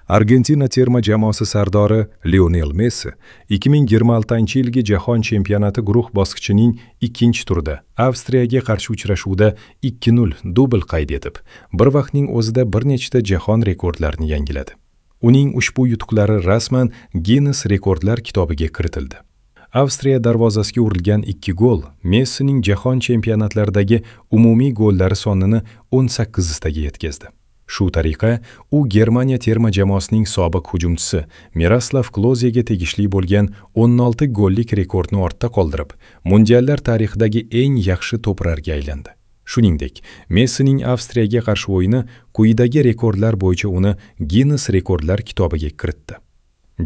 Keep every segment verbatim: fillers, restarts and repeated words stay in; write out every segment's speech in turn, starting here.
Argentina terma jamoasi sardori Lionel Messi ikki ming yigirma oltinchi yilgi Jahon chempionati guruh bosqichining ikkinchi turida Avstriyaga qarshi uchrashuvda ikki nol dubl qayd etib, bir vaqtning o'zida bir nechta jahon rekordlarini yangiladi. Uning ushbu yutuqlari rasman Guinness rekordlar kitobiga kiritildi. Avstriya darvozasiga urilgan ikki gol Messining jahon chempionatlaridagi umumiy gollari sonini o'n sakkiztaga yetkazdi. Shu tariqa u Germaniya terma jamoasining sobiq hujumchisi Miroslav Klozega tegishli bo'lgan o'n olti gollik rekordni ortda qoldirib, mundiallar tarixidagi eng yaxshi to'purarga aylandi. Shuningdek, Messining Avstriyaga qarshi o'yini quyidagi rekordlar bo'yicha uni Guinness rekordlar kitobiga kiritdi.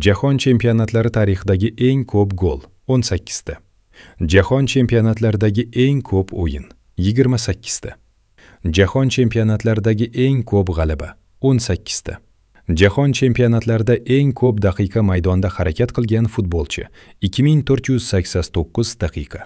Jahon chempionatlari tarixidagi eng ko'p gol o'n sakkizta. Jahon chempionatlaridagi eng ko'p o'yin yigirma sakkizta. Jahon chempionatlaridagi eng ko'p g'alaba o'n sakkizta. Jahon chempionatlarida eng ko'p daqiqa maydonda harakat qilgan futbolchi ikki ming to'rt yuz sakson to'qqiz daqiqa.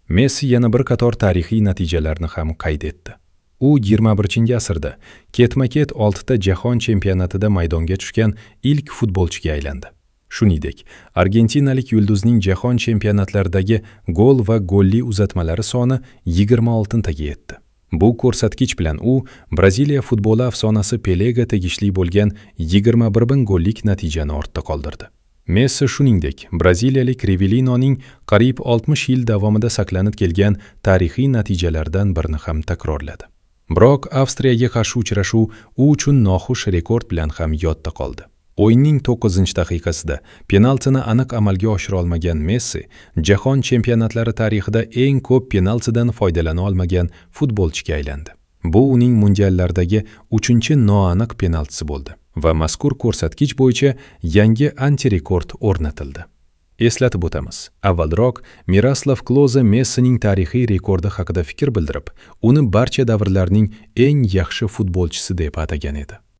Messi yana bir qator tarixiy natijalarni ham qayd etdi. U yigirma birinchi asrda ketma-ket oltita jahon chempionatida maydonga tushgan ilk futbolchiga aylandi. Shuningdek, argentinalik yulduzning jahon chempionatlaridagi gol va golli uzatmalari soni yigirma oltitaga yetdi. Bu ko'rsatkich bilan u Braziliya futboli afsonasi Pelega tegishli bo'lgan yigirma bir ming gollik natijani ortda qoldirdi. Messi shuningdek, braziliyalik Rivelinoning qariyb oltmish yil davomida saqlanib kelgan tarixiy natijalardan birini ham takrorladi. Biroq Avstriyaga qarshi uchrashuv u uchun noxush rekord bilan ham yodda qoldi. O'yinning to'qqizinchi daqiqasida penaltini aniq amalga oshira olmagan Messi jahon chempionatlari tarixida eng ko'p penaltidan foydalana olmagan futbolchiga aylandi. Bu uning mundiallardagi uchinchi noaniq penaltisi bo'ldi va mazkur ko'rsatkich bo'yicha yangi antirekord o'rnatildi. Eslatib o'tamiz, avvalroq Miroslav Kloze Messining tarixiy rekordi haqida fikr bildirib, uni barcha davrlarning eng yaxshi futbolchisi deb atagan edi.